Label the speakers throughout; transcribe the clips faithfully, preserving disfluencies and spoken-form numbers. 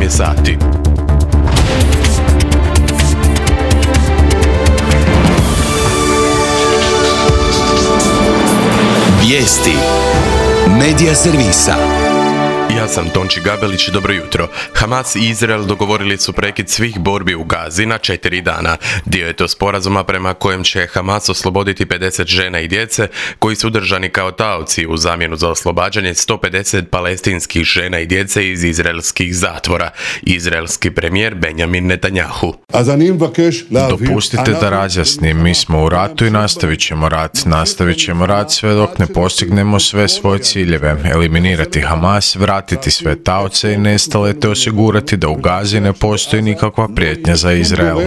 Speaker 1: je sati.
Speaker 2: Vijesti Medija servisa.
Speaker 1: Ja sam Tonči Gabelić, dobro jutro. Hamas i Izrael dogovorili su prekid svih borbi u Gazi na četiri dana. Dio je to sporazuma prema kojem će Hamas osloboditi pedeset žena i djece koji su držani kao taoci u zamjenu za oslobađanje sto pedeset palestinskih žena i djece iz izraelskih zatvora. Izraelski premijer Benjamin Netanjahu.
Speaker 3: Dopustite da razjasnim, mi smo u ratu i nastavit ćemo rat. Nastavit ćemo rat sve dok ne postignemo sve svoje ciljeve. Eliminirati Hamas, vratiti sve taoce i nestale te osigurati da u Gazi ne postoji nikakva prijetnja za Izrael.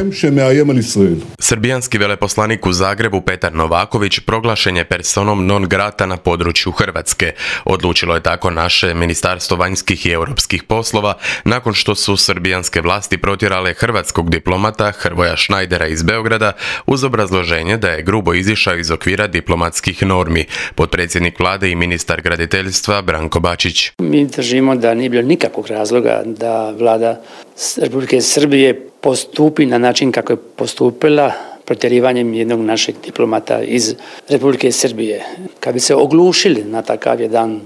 Speaker 1: Srbijanski veleposlanik u Zagrebu Petar Novaković proglašen je personom non grata na području Hrvatske. Odlučilo je tako naše Ministarstvo vanjskih i europskih poslova nakon što su srbijanske vlasti protjerale hrvatskog diplomata Hrvoja Šnajdera iz Beograda uz obrazloženje da je grubo izišao iz okvira diplomatskih normi. Potpredsjednik vlade i ministar graditeljstva Branko Bačić.
Speaker 4: Mi držimo da nije bilo nikakvog razloga da vlada Republike Srbije postupi na način kako je postupila protjerivanjem jednog našeg diplomata iz Republike Srbije. Kad bi se oglušili na takav jedan,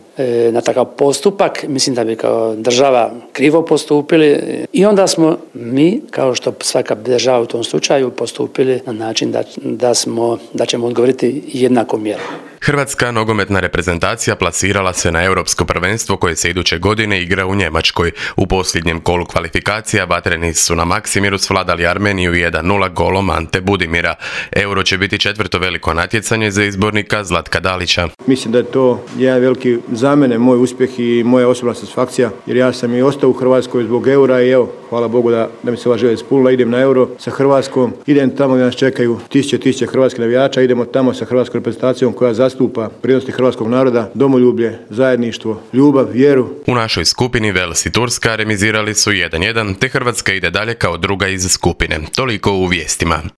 Speaker 4: na takav postupak, mislim da bi kao država krivo postupili i onda smo mi, kao što svaka država u tom slučaju, postupili na način da, da, smo, da ćemo odgovoriti jednakom mjerom.
Speaker 1: Hrvatska nogometna reprezentacija plasirala se na europsko prvenstvo koje se iduće godine igra u Njemačkoj. U posljednjem kolu kvalifikacija vatreni su na Maksimiru svladali Armeniju jedan nula golom Ante Budimira. Euro će biti četvrto veliko natjecanje za izbornika Zlatka Dalića.
Speaker 5: Mislim da je to jedan veliki za mene moj uspjeh i moja osobna satisfakcija, jer ja sam i ostao u Hrvatskoj zbog eura i evo, hvala Bogu da, da mi se ova želja ispunila. Idem na euro sa Hrvatskom, idem tamo gdje nas čekaju tisuće tisuće hrvatskih navijača, idemo tamo sa hrvatskom reprezentacijom koja zastupa vrijednosti hrvatskog naroda, domoljublje, zajedništvo, ljubav, vjeru.
Speaker 1: U našoj skupini Vels i Turska remizirali su jedan jedan, te Hrvatska ide dalje kao druga iz skupine. Toliko u vijestima.